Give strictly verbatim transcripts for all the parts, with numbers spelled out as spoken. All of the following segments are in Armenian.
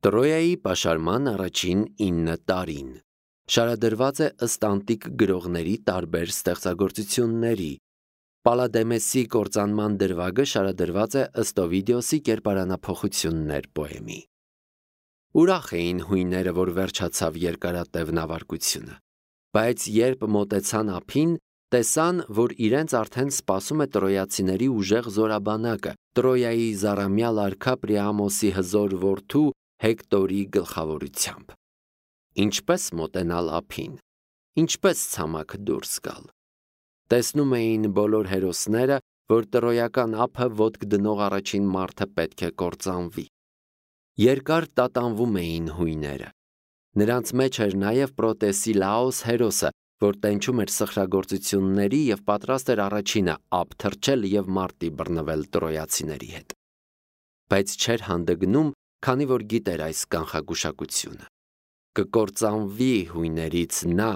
Տրոյայի պաշարման առաջին ինը տարին։ Շարադրված է ըստ անտիկ գրողների տարբեր ստեղծագործությունների։ Պալադեմեսի կործանման դրվագը շարադրված է ըստ Օվիդիոսի կերպարանափոխություններ պոեմի։ Ուրախ էին հույները, որ վերջացավ երկարատև նավարկությունը, բայց երբ մոտեցան ափին, տեսան, որ իրենց արդեն սպասում է տրոյացիների ուժեղ զորաբանակը, Տրոյայի զառամյալ արքա Պրիամոսի հզոր որդու Հեկտորի գլխավորությամբ։ Ինչպես մոտենալ ափին, ինչպես ցամաք դուրս գալ։ Տեսնում էին բոլոր հերոսները, որ տրոյական ափը ոտք դնող առաջին մարդը պետք է կործանվի։ Երկար տատանվում էին հույները։ Նրանց մեջ էր նաև Պրոտեսիլաոս հերոսը, որ տենչում էր սխրագործությունների և պատրաստ էր առաջինը ափ թռչել և մարտի բռնվել տրոյացիների հետ։ Բայց չէր հանդգնում, քանի որ գիտեր այս կանխագուշակությունը։ Կկործանվի հույներից նա,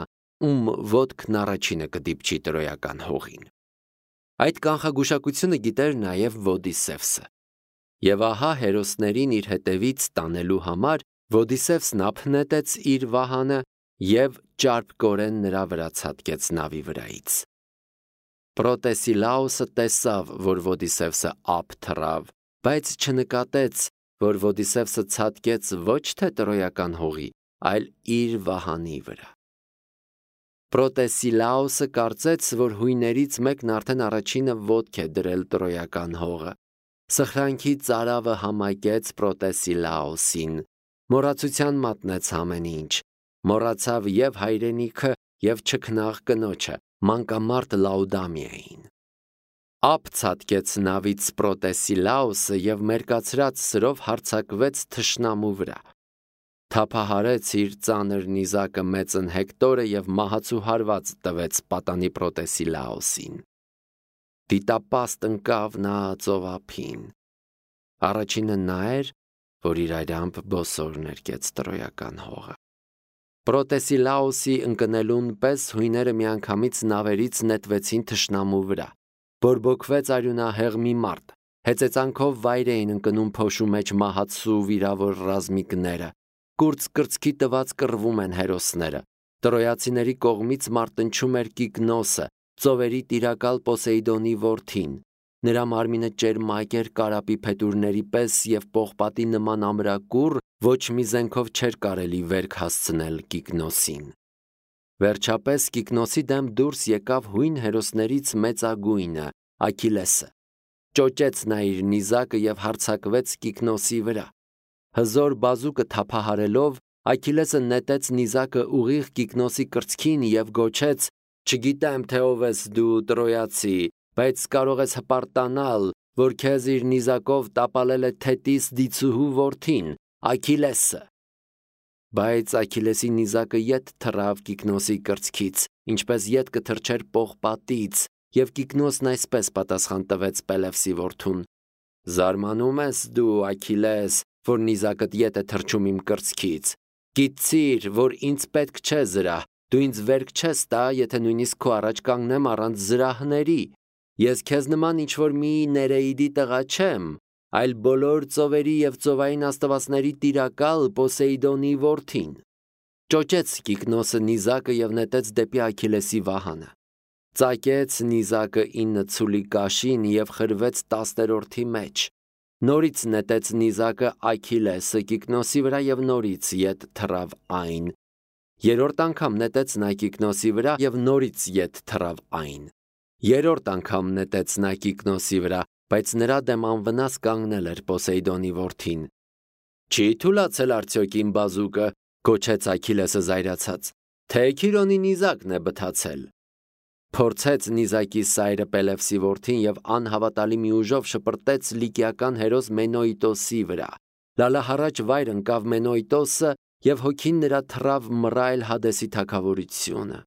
ում ոտքն առաջինը կդիպչի տրոյական հողին։ Այդ կանխագուշակությունը գիտեր նաև Ոդիսևսը։ Եվ ահա հերոսներին իր հետևից տանելու համար Ոդիսևսն ափ նետեց իր վահանը և ճարպկորեն նրա վրա ցատկեց նավի վրայից։ Պրոտեսիլաոսը տեսավ, որ Ոդիսևսը ափ թռավ, բայց չնկատեց, որ Ոդիսևսը ցատկեց ոչ թե տրոյական հողի, այլ իր վահանի վրա։ Պրոտեսիլաոսը կարծեց, որ հույներից մեկն արդեն առաջինը ոտք է դրել տրոյական հողը։ Սխրանքի ծարավը համակեց Պրոտեսիլաոսին, մոռացության մատնեց ամեն ինչ, մոռացավ և հայրենիքը, և չքնաղ կնոջը, մանկամարտ Լաուդամիային։ Ափ ցատկեց նավից Պրոտեսիլաոսը և մերկացրած սրով հարձակվեց թշնամու վրա։ Թափահարեց իր ծանր նիզակը մեծն Հեկտորը և մահացու հարված տվեց պատանի Պրոտեսիլաոսին։ Դիտապաստ ընկավ նա ծովափին։ Առաջինը նա էր, որ իր այրամբ բոսոր ներկեց տրոյական հողը։ Պրոտեսիլաոսի ընկնելուն պես հույները միանգամից նավերից նետվեցին թշնամու վրա։ Բորբոքվեց արյունահեղ մի մարդ, հեծեծանքով վայր էին ընկնում փոշու մեջ մահացու վիրավոր ռազմիկները, կուրծ կրծքի տված կռվում են հերոսները։ Տրոյացիների կողմից մարտնչում էր Կիկնոսը, ծովերի տիրակալ Պոսեյդոնի որդին։ Նրա մարմինը ճերմակ էր կարապի փետուրների պես և պողպատի նման ամրակուռ, ոչ մի զենքով չէր կարելի վերք հասցնել Կիկնոսին։ Վերջապես Կիկնոսի դեմ դուրս եկավ հույն հերոսներից մեծագույնը՝ Աքիլեսը։ Ճոճեց նա իր նիզակը և հարձակվեց Կիկնոսի վրա։ Հզոր բազուկը թափահարելով, Աքիլեսը նետեց նիզակը ուղիղ Կիկնոսի կրծքին և գոչեց. «Չգիտեմ, թե ով ես դու, Տրոյացի, բայց կարող ես հպարտանալ, որ քեզ իր նիզակով տապալել է Թետիս դիցուհու որդին, Աքիլեսը»։ Բայց Աքիլեսի նիզակը ետ թռավ Կիկնոսի կրծքից, ինչպես ետ կթռչեր պողպատից, և Կիկնոսն այսպես պատասխան տվեց Պելևսի որդուն. «Զարմանում ես դու, Աքիլես, որ նիզակդ ետ է թռչում իմ կրծքից։ Գիտցիր, որ ինձ պետք չէ զրահ, դու ինձ վերք չես տա, եթե նույնիսկ քո առաջ կանգնեմ առանց զրահների։ Ես քեզ նման ինչ-որ մի Ներեիդի տղա չեմ, այլ բոլոր ծովերի և ծովային աստվածների տիրակալ Պոսեյդոնի որդին»։ Ճոճեց Կիկնոսը նիզակը և նետեց դեպի Աքիլեսի վահանը։ Ծակեց նիզակը ինը ցուլի կաշին և խրվեց տասներորդի մեջ։ Նորից նետեց նիզակը Աքիլեսը Կիկնոսի վրա և նորից ետ թռավ այն։ Երրորդ անգամ նետեց նա Կիկնոսի վրա և նորից ետ թռավ այն։ Երրորդ անգամ նետեց նա Կիկնոսի վրա, բայց նրա դեմ անվնաս կանգնել էր Պոսեյդոնի որդին։ «Չի թուլացել արդյոք իմ բազուկը», գոչեց Աքիլեսը զայրացած, «թե Քիրոնի նիզակն է բթացել»։ Փորձեց նիզակի սայրը Պելևսի որդին և անհավատալի մի ուժով շպրտեց լիկիական հերոս Մենոյտոսի վրա։ Լալահառաչ վայր ընկավ Մենոյտոսը և հոգին նրա թռավ Մռայլ Հադեսի թագավորությունը։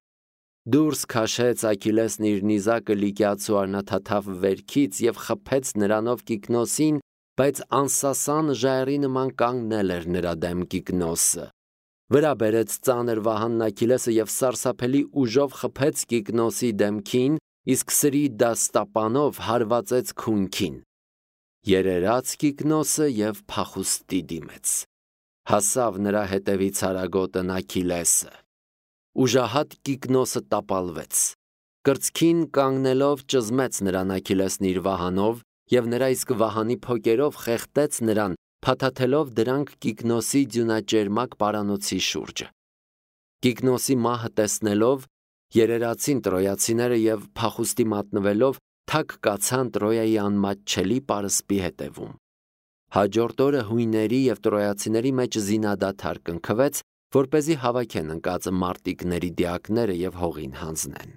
Դուրս քաշեց Աքիլեսն իր նիզակը լիկիացու արնաթաթավ վերքից և խփեց նրանով Կիկնոսին, բայց անսասան ժայռի նման կանգնել էր նրա դեմ Կիկնոսը։ Վրա բերեց ծանր վահանն Աքիլեսը և սարսափելի ուժով խփեց Կիկնոսի դեմքին, իսկ սրի դաստապանով հարվածեց քունքին։ Երերաց Կիկնոսը և փախուստի դիմեց։ հասավ նրա հետևից արագոտն Աքիլեսը։ Ուժահատ Կիկնոսը տապալվեց։ Կրծքին կանգնելով ճզմեց նրան Աքիլեսն իր վահանով և նրա իսկ վահանի փոկերով խեղդեց նրան, փաթաթելով դրանք Կիկնոսի ձյունաճերմակ պարանոցի շուրջը։ Կիկնոսի մահը տեսնելով երերացին տրոյացիները և փախուստի մատնվելով թք կացան Տրոյայի անմատչելի պարսպի հետևում։ Հաջորդ օրը հույների և տրոյացիների մեջ զինադադար կնքվեց, որպեսզի հավաքեն ընկած մարտիկների դիակները և հողին հանձնեն։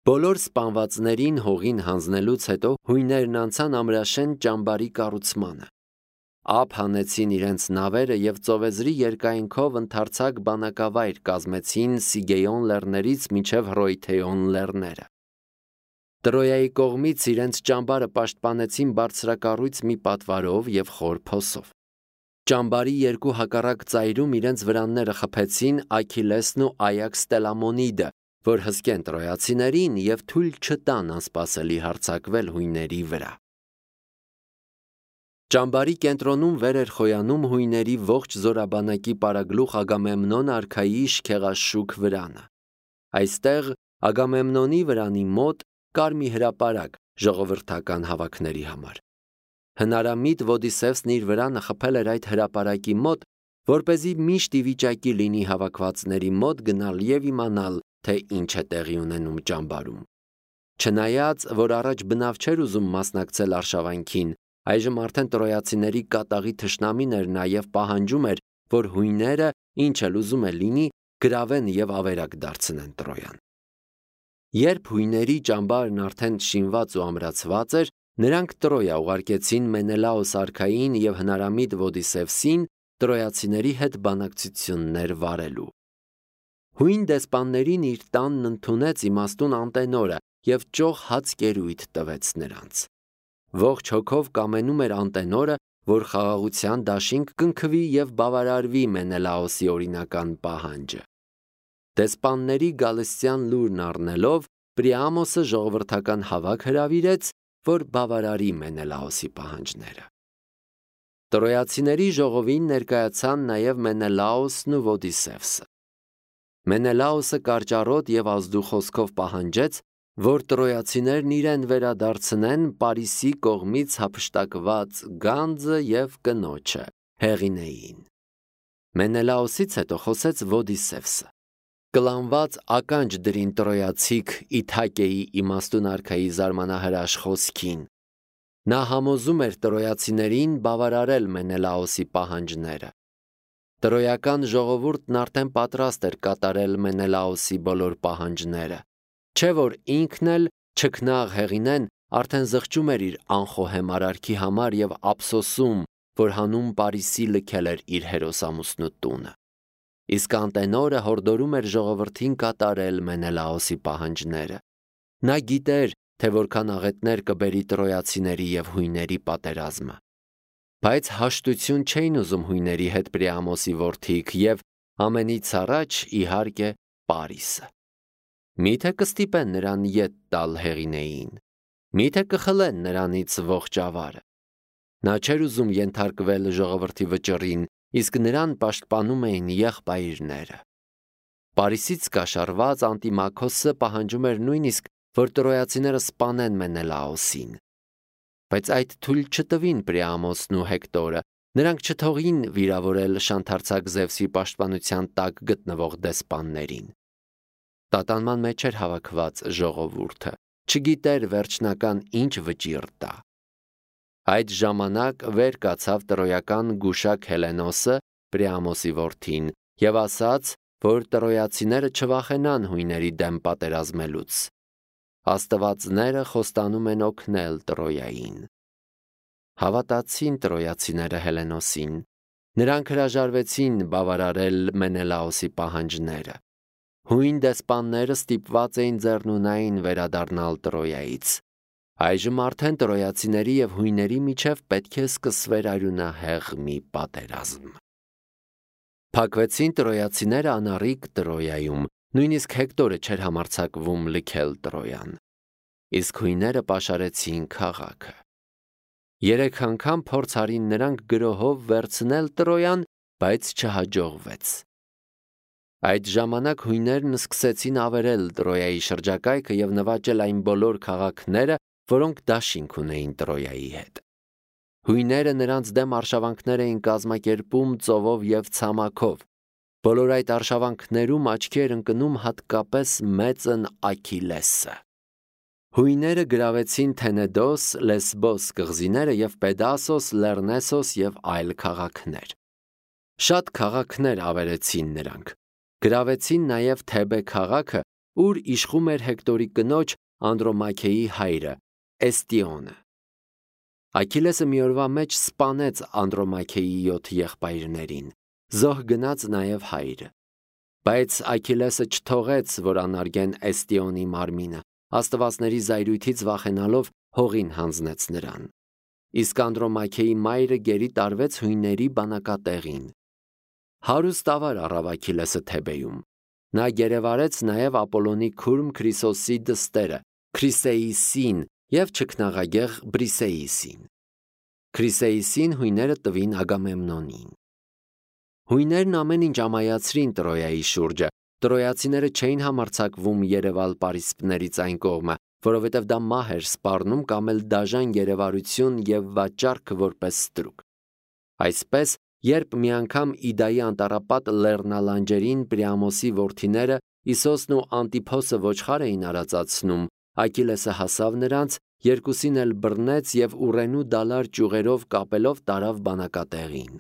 Բոլոր սպանվածներին հողին հանձնելուց հետո հույներն անցան Ամրաշեն ճամբարի կառուցմանը։ Ափ հանեցին իրենց նավերը և ծովեզրի երկայնքով ընդարձակ բանակավայր կազմեցին Սիգեոն լեռներից մինչև Հռոյթեոն լեռները։ Տրոյայի կողմից իրենց ճամբարը պաշտպանեցին բարձրակառույց մի պատվարով և խոր փոսով։ Ճամբարի երկու հակառակ ծայրում իրենց վրանները խփեցին Աքիլեսն ու Այաքս Տելամոնիդը, որ հսկեն տրոյացիներին և թույլ չտան անսպասելի հարձակվել հույների վրա։ Ճամբարի կենտրոնում վեր էր խոյանում հույների ողջ զորաբանակի պարագլուխ Ագամեմնոն արքայի իշխեղաշուք վրանը։ Այստեղ Ագամեմնոնի վրանի մոտ կար մի հրապարակ ժողովրդական հավաքների համար։ Հնարամիտ Ոդիսևսն իր վրանը խփել էր այդ հրապարակի մոտ, որպեսզի միշտ ի վիճակի լինի հավաքվածների մոտ գնալ և իմանալ, թե ինչ է տեղի ունենում ճամբարում։ Չնայած, որ առաջ բնավ չէր ուզում մասնակցել արշավանքին, այժմ արդեն տրոյացիների կատաղի թշնամին էր նա և պահանջում էր, որ հույները, ինչ էլ ուզում է լինի, գրավեն և ավերակ դարձնեն Տրոյան։ Երբ հույների ճամբարն արդեն շինված ու ամրացված էր, նրանք Տրոյա ուղարկեցին Մենելաոս արքային և հնարամիտ Ոդիսևսին տրոյացիների հետ բանակցություններ վարելու։ Հույն դեսպաններին իր տանն ընդունեց իմաստուն Անտենորը և ճոխ հաց կերույթ տվեց նրանց։ Ողջ հոգով կամենում էր Անտենորը, որ խաղաղության դաշինք կնքվի և բավարարվի Մենելաոսի օրինական պահանջը։ Դեսպանների գալստյան լուրն առնելով, Պրիամոսը ժողովրդական հավաք հրավիրեց, որ բավարարի Մենելաոսի պահանջները։ Տրոյացիների ժողովին ներկայացան նաև Մենելաոսն ու Ոդիսևսը։ Մենելաոսը կարճառոտ և ազդու խոսքով պահանջեց, որ տրոյացիներն իրեն վերադարձնեն Պարիսի կողմից հափշտակված գանձը և կնոջը Հեղինեին։ Մենելաոսից հետո խոսեց Ոդիսևսը։ Կլանված ականջ դրին տրոյացիք Իթակեի իմաստուն արքայի զարմանահրաշ խոսքին։ Նա համոզում էր տրոյացիներին բավարարել Մենելաոսի պահանջները։ Տրոյական ժողովուրդն արդեն պատրաստ էր կատարել Մենելաոսի բոլոր պահանջները, չէ որ ինքն էլ չքնաղ Հեղինեն արդեն զղջում էր իր անխոհեմ արարքի համար և ափսոսում, որ հանուն Պարիսի լքել էր իր հերոսամուսնու տունը։ Իսկ Անտենորը հորդորում էր ժողովրդին կատարել Մենելաոսի պահանջները։ Նա գիտեր, թե որքան աղետներ կբերի տրոյացիների և հույների պատերազմը։ Բայց հաշտություն չէին ուզում հույների հետ Պրիամոսի որդիք և ամենից առաջ, իհարկե, Պարիսը։ Միթե կստիպեն նրան ետ տալ Հեղինեին, միթե կխլեն նրանից ողջ ավարը։ Նա չէր ուզում ենթարկվել ժողովրդի վճռին, իսկ նրան պաշտպանում էին եղբայրները։ Պարիսից կաշառված Անտիմաքոսը պահանջում էր նույնիսկ, որ տրոյացիները սպանեն Մենելաոսին։ Բայց այդ թույլ չտվին Պրիամոսն ու Հեկտորը, նրանք չթողին վիրավորել շանթարցակ Զևսի պաշտպանության տակ գտնվող դեսպաններին։ Տատանման մեջ էր հավաքված ժողովուրդը, չգիտեր վերջնական ինչ վճիռ տա։ Այդ ժամանակ վեր կացավ տրոյական գուշակ Հելենոսը, Պրիամոսի որդին, և ասաց, որ տրոյացիները չվախենան հույների դեմ պատերազմելուց։ Աստվածները խոստանում են օգնել Տրոյային։ Հավատացին տրոյացիները Հելենոսին։ Նրանք հրաժարվեցին բավարարել Մենելաոսի պահանջները։ Հույն դեսպանները ստիպված էին ձեռնունայն վերադառնալ Տրոյայից։ Այժմ արդեն տրոյացիների և հույների միջև պետք է սկսվեր արյունահեղ մի պատերազմ։ Փակվեցին տրոյացիները անառիկ Տրոյայում, նույնիսկ Հեկտորը չէր համարձակվում լքել Տրոյան։ Իսկ հույները պաշարեցին քաղաքը։ Երեք անգամ փորձ արին նրանք գրոհով վերցնել Տրոյան, բայց չհաջողվեց։ Այդ ժամանակ հույներն սկսեցին ավերել Տրոյայի շրջակայքը և նվաճել այն բոլոր քաղաքները, որոնք դաշինք ունեին Տրոյայի հետ։ Հույները նրանց դեմ արշավանքներ էին կազմակերպում ծովով և ցամաքով։ Բոլոր այդ արշավանքներում աչքի էր ընկնում հատկապես մեծն Աքիլեսը։ Հույները գրավեցին Թենեդոս, Լեսբոս կղզիները և Պեդասոս, Լեռնեսոս և այլ քաղաքներ։ Շատ քաղաքներ ավերեցին նրանք։ Գրավեցին նաև Թեբե քաղաքը, ուր իշխում էր Հեկտորի կնոջ Անդրոմաքեի հայրը, Էստիոնը։ Աքիլեսը մի օրվա մեջ սպանեց Անդրոմաքեի յոթ եղբայրներին, զոհ գնաց նաև հայրը։ Բայց Աքիլեսը չթողեց, որ անարգեն Էստիոնի մարմինը, աստվածների զայրույթից վախենալով հողին հանձնեց նրան։ Իսկ Անդրոմաքեի մայրը գերի տարվեց հույների բանակատեղին։ Հարուստ ավար առավ Աքիլեսը Թեբեյում։ Նա գերեվարեց նաև Ապոլոնի քուրմ Քրիսոսի դստերը, Քրիսեիսին և չքնաղագեղ Բրիսեիսին։ Քրիսեիսին հույները տվին Ագամեմնոնին։ Հույներն ամեն ինչ ամայացրին Տրոյայի շուրջը։ Տրոյացիները չէին համարձակվում երևալ պարիսպներից այն կողմը, որովհետև դա մահ էր սպառնում կամ էլ դաժան գերեվարություն և վաճառքը որպես ստրուկ։ Այսպես, երբ մի անգամ Իդայի անտառապատ լեռնալանջերին Պրիամոսի որդիները Իսոսն ու Անտիփոսը ոչխար էին արածացնում, Աքիլեսը հասավ նրանց, երկուսին էլ բռնեց և ուռենու դալար ճյուղերով կապելով տարավ բանակատեղին։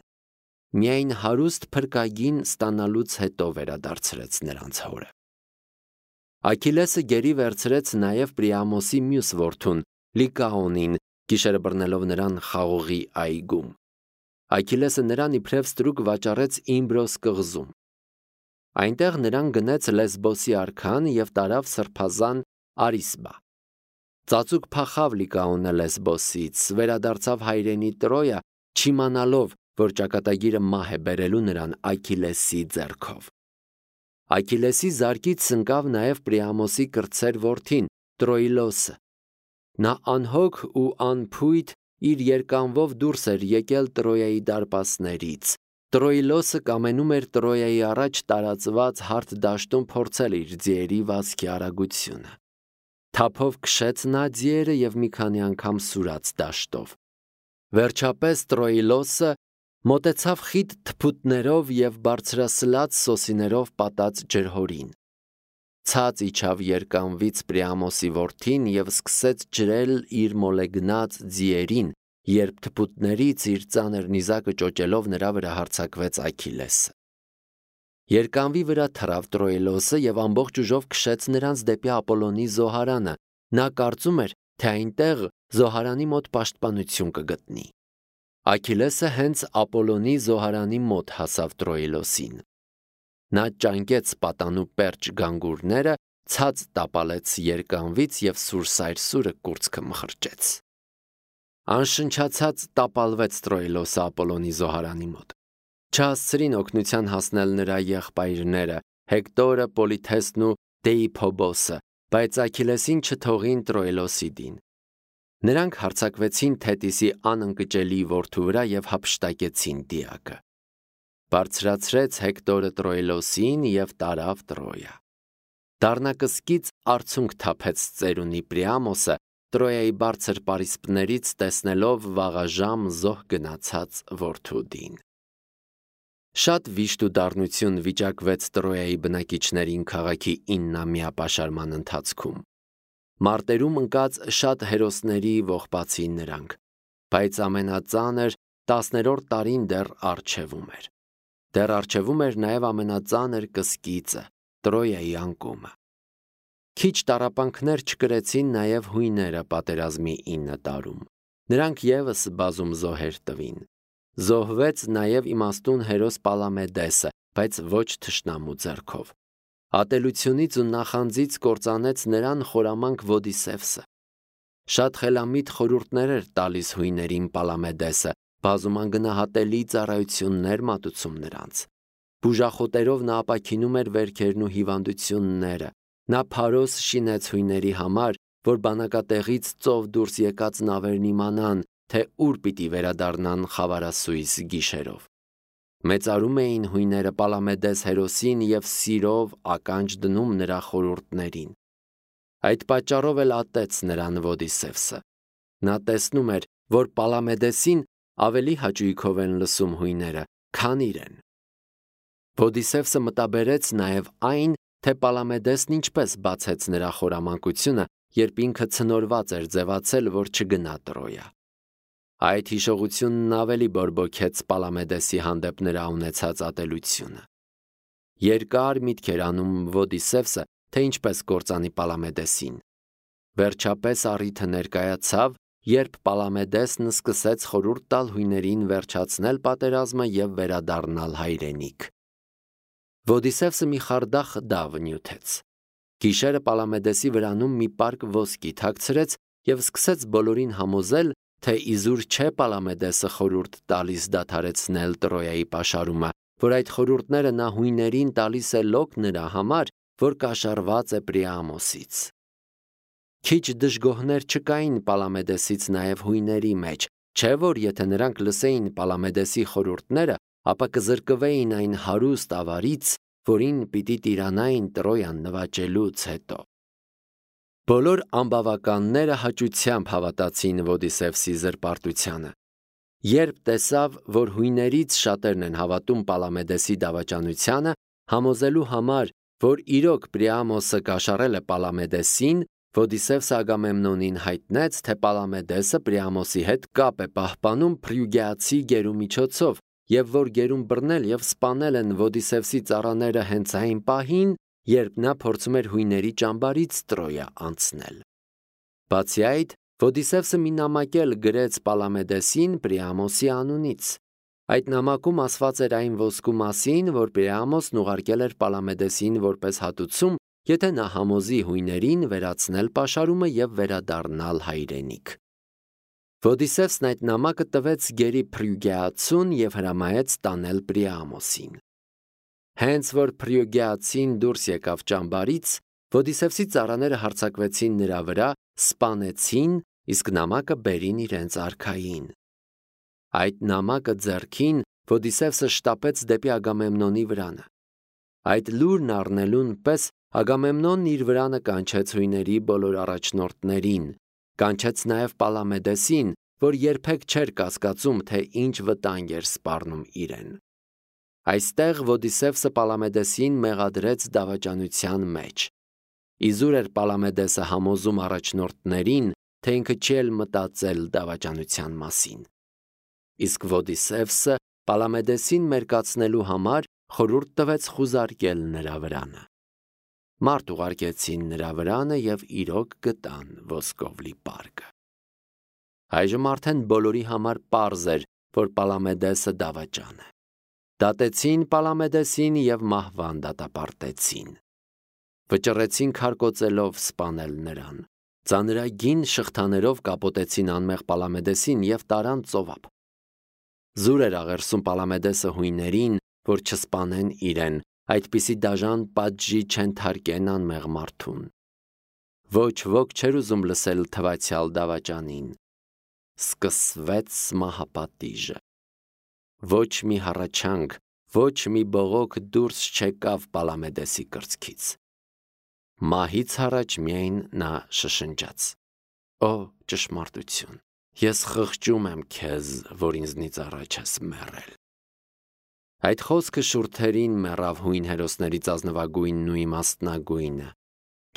Միայն հարուստ փրկագին ստանալուց հետո վերադարձրեց նրանց հորը։ Աքիլեսը գերի վերցրեց նաև Պրիամոսի մյուս որդուն, Լիկաոնին, գիշերը բռնելով նրան Խաղողի այգում։ Աքիլեսը նրան իբրև ստրուկ վաճառեց Իմբրոս կղզում։ Այնտեղ նրան գնեց Լեսբոսի արքան և տարավ սրբազան Արիսբա։ Ծածուկ փախավ Լիկաոնը Լեսբոսից, վերադարձավ հայրենի Տրոյա, չիմանալով, որ ճակատագիրը մահ է բերելու նրան Աքիլեսի ձեռքով։ Աքիլեսի զարկից ընկավ նաև Պրիամոսի կրտսեր որդին, Տրոիլոսը։ Նա անհոգ ու անփույթ իր երկանվով դուրս էր եկել Տրոյայի դարպասներից։ Տրոիլոսը կամենում էր Տրոյայի առաջ տարածված հարթ դաշտում փորձել իր ձիերի վազքի արագությունը։ Թափով քշեց նա ձիերը և մի քանի անգամ սուրաց դաշտով։ Վերջապես Տրոիլոսը մոտեցավ խիտ թփուտներով և բարձրասլաց սոսիներով պատած ջրհորին։ Ցած իջավ երկանվից Պրիամոսի որդին և սկսեց ջրել իր մոլեգնած ձիերին, երբ թփուտներից իր ծանր նիզակը ճոճելով նրա վրա հարձակվեց Աքիլեսը։ Երկանվի վրա թռավ Տրոիլոսը և ամբողջ ուժով քշեց նրանց դեպի Ապոլոնի զոհարանը։ Նա կարծում էր, թե այնտեղ զոհարանի մոտ պաշտպանություն կգտնի։ Աքիլեսը հենց Ապոլոնի զոհարանի մոտ հասավ Տրոիլոսին։ Նա ճանկեց պատանու պերճ գանգուրները, ցած տապալեց երկանվից և սուրսայր կուրծքը մխրճեց։ Անշնչացած տապալվեց Տրոիլոսը Ապոլոնի զոհարանի մոտ։ Չհասցրին օգնության հասնել նրա եղբայրները՝ Հեկտորը, Պոլիթեսն ու Դեիփոբոսը, բայց Աքիլեսին չթողին Տրոիլոսի դին։ Նրանք հարձակվեցին Թետիսի անընկճելի որդու վրա և հափշտակեցին դիակը։ Բարձրացրեց Հեկտորը Տրոիլոսին և տարավ Տրոյա։ Դառնակսկից արցունք թափեց ծերունի Պրիամոսը, Տրոյայի բարձր պարիսպներից տեսնելով վաղաժամ զոհ գնացած որդու դին։ Շատ վիշտ ու դառնություն վիճակվեց Տրոյայի բնակիչներին քաղաքի իննամյա պաշարման ընթացքում։ Մարտերում ընկած շատ հերոսների ողբացին նրանք, բայց ամենածանր տասներորդ տարին դեռ առջևում էր։ Դեռ առջևում էր նաև ամենածանր կսկիծը՝ Տրոյայի անկումը։ Քիչ տառապանքներ չկրեցին նաև հույները պատերազմի ինը տարում։ Նրանք ևս բազում զոհեր տվին։ Զոհվեց նաև իմաստուն հերոս Պալամեդեսը, բայց ոչ թշնամու ձեռքով։ Ատելությունից ու նախանձից կործանեց նրան խորամանկ Ոդիսևսը։ Շատ խելամիտ խորհուրդներ էր տալիս հույներին Պալամեդեսը, բազում անգնահատելի ծառայություններ մատուցում նրանց։ Բուժախոտերով նա ապաքինում էր վերքերն ու հիվանդությունները։ Նա փարոս շինեց հույների համար, որ բանակատեղից ծով դուրս եկած նավերն իմանան, թե ուր պիտի վերադառնան խավարասույս գիշերով։ Մեծարում էին հույները Պալամեդես հերոսին և սիրով ականջ դնում նրա խորհուրդներին։ Այդ պատճառով էլ ատեց նրան Ոդիսևսը։ Նա տեսնում էր, որ Պալամեդեսին ավելի հաճույքով են լսում հույները, քան իրեն։ Ոդիսևսը մտաբերեց նաև այն, թե Պալամեդեսն ինչպես բացեց նրա խորամանկությունը, երբ ինքը ցնորված էր ձևացել, որ չգնա Տրոյա։ Այդ հիշողությունն ավելի բորբոքեց Պալամեդեսի հանդեպ նրա ունեցած ատելությունը։ Երկար միտք էր անում Ոդիսևսը, թե ինչպես կործանի Պալամեդեսին։ Վերջապես առիթը ներկայացավ, երբ Պալամեդեսն սկսեց խորհուրդ տալ հույներին վերջացնել պատերազմը և վերադառնալ հայրենիք։ Ոդիսևսը մի խարդախ դավ նյութեց։ Գիշերը Պալամեդեսի վրանում մի պարկ ոսկի թաքցրեց և սկսեց բոլորին համոզել, թե իզուր չէ Պալամեդեսը խորհուրդ տալիս դադարեցնել Տրոյայի պաշարումը, որ այդ խորհուրդները նա հույներին տալիս է լոկ նրա համար, որ կաշառված է Պրիամոսից։ Քիչ դժգոհներ չկային Պալամեդեսից նաև հույների մեջ, չէ՞ որ եթե նրանք լսեին Պալամեդեսի խորհուրդները, ապա կզրկվեին այն հարուստ ավարից, որին պիտի տիրանային Տրոյան նվաճելուց հետո։ Բոլոր ամբավականները հաճությամբ հավատացին Ոդիսևսի զրպարտությանը։ Երբ տեսավ, որ հույներից շատերն են հավատում Պալամեդեսի դավաճանությանը, համոզելու համար, որ իրոք Պրիամոսը կաշառել է Պալամեդեսին, Ոդիսևսը Ագամեմնոնին հայտնեց, թե Պալամեդեսը Պրիամոսի հետ կապ է պահպանում Փրյուգեացի գերու միջոցով, և որ գերուն բռնել և սպանել են Ոդիսևսի ծառաները հենց այն պահին, երբ նա փորձում էր հույների ճամբարից Տրոյա անցնել։ Բացի այդ, Ոդիսևսը մի նամակ էլ գրեց Պալամեդեսին Պրիամոսի անունից։ Այդ նամակում ասված էր այն ոսկու մասին, որ Պրիամոսն ուղարկել էր Պալամեդեսին որպես հատուցում, եթե նա համոզի հույներին վերացնել պաշարումը և վերադառնալ հայրենիք։ Ոդիսևսն այդ նամակը տվեց գերի Փրյուգեացուն և հրամայեց տանել Պրիամոսին։ Հենց որ Փրյուգեացին դուրս եկավ ճամբարից, Ոդիսևսի ծառաները հարձակվեցին նրա վրա, սպանեցին, իսկ նամակը բերին իրենց արքային։ Այդ նամակը ձեռքին Ոդիսևսը շտապեց դեպի Ագամեմնոնի վրանը։ Այդ լուրն առնելուն պես Ագամեմնոնն իր վրանը կանչեց հույների բոլոր առաջնորդներին, կանչեց նաև Պալամեդեսին, որ երբեք չէր կասկածում, թե ինչ վտանգ էր սպառնում իրեն։ Այստեղ Ոդիսևսը Պալամեդեսին մեղադրեց դավաճանության մեջ։ Իզուր էր Պալամեդեսը համոզում առաջնորդներին, թե ինքը չի էլ մտածել դավաճանության մասին։ Իսկ Ոդիսևսը Պալամեդեսին մերկացնելու համար խորհուրդ տվեց խուզարկել նրա վրանը։ Մարդ ուղարկեցին նրա վրանը և իրոք գտան ոսկով լի պարկը։ Այժմ արդեն բոլորի համար պարզ էր, որ Պալամեդեսը դավաճան է։ Դատեցին Պալամեդեսին և մահվան դատապարտեցին։ Վճռեցին քարկոծելով սպանել նրան։ Ծանրագին շղթաներով կապոտեցին անմեղ Պալամեդեսին և տարան ծովափ։ Զուր էր աղերսում Պալամեդեսը հույներին, որ չսպանեն իրեն, այդպիսի դաժան պատժի չենթարկեն անմեղ մարդուն։ Ոչ ոք չէր ուզում լսել թվացյալ դավաճանին։ Սկսվեց մահապատիժը։ Ոչ մի հառաչանք, ոչ մի բողոք դուրս չեկավ Պալամեդեսի կրծքից։ Մահից առաջ միայն նա շշնջաց. «Օ ճշմարտություն, ես խղճում եմ քեզ, որ ինձնից առաջ ես մեռել»։ Այդ խոսքը շուրթերին մեռավ հույն հերոսներից ազնվագույնն ու իմաստնագույնը։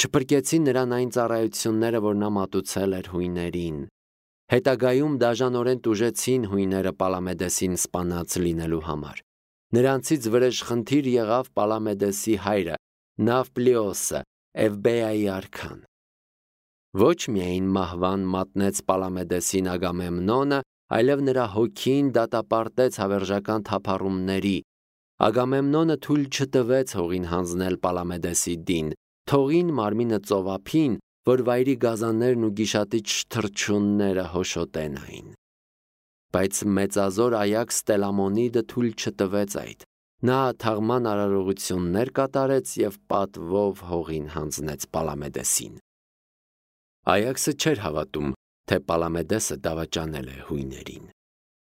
Չփրկեցին նրան այն ծառայությունները, որ նա մատուցել էր հույներին։ Հետագայում դաժանորեն տուժեցին հույները Պալամեդեսին սպանած լինելու համար։ Նրանցից վրեժխնդիր եղավ Պալամեդեսի հայրը, Նավպլիոսը, Էվբեայի արքան։ Ոչ միայն մահվան մատնեց Պալամեդեսին Ագամեմնոնը, այլև նրա հոգին դատապարտեց հավերժական թափառումների։ Ագամեմնոնը թույլ չտվեց հողին հանձնել Պալամեդեսի դին, թողին մարմինը ծովափին, որ վայրի գազաններն ու գիշատիչ թռչունները հոշոտեն այն։ Բայց մեծազոր Այաքս Տելամոնիդը թույլ չտվեց այդ։ Նա թաղման արարողություններ կատարեց և պատվով հողին հանձնեց Պալամեդեսին։ Այաքսը չէր հավատում, թե Պալամեդեսը դավաճանել է հույներին։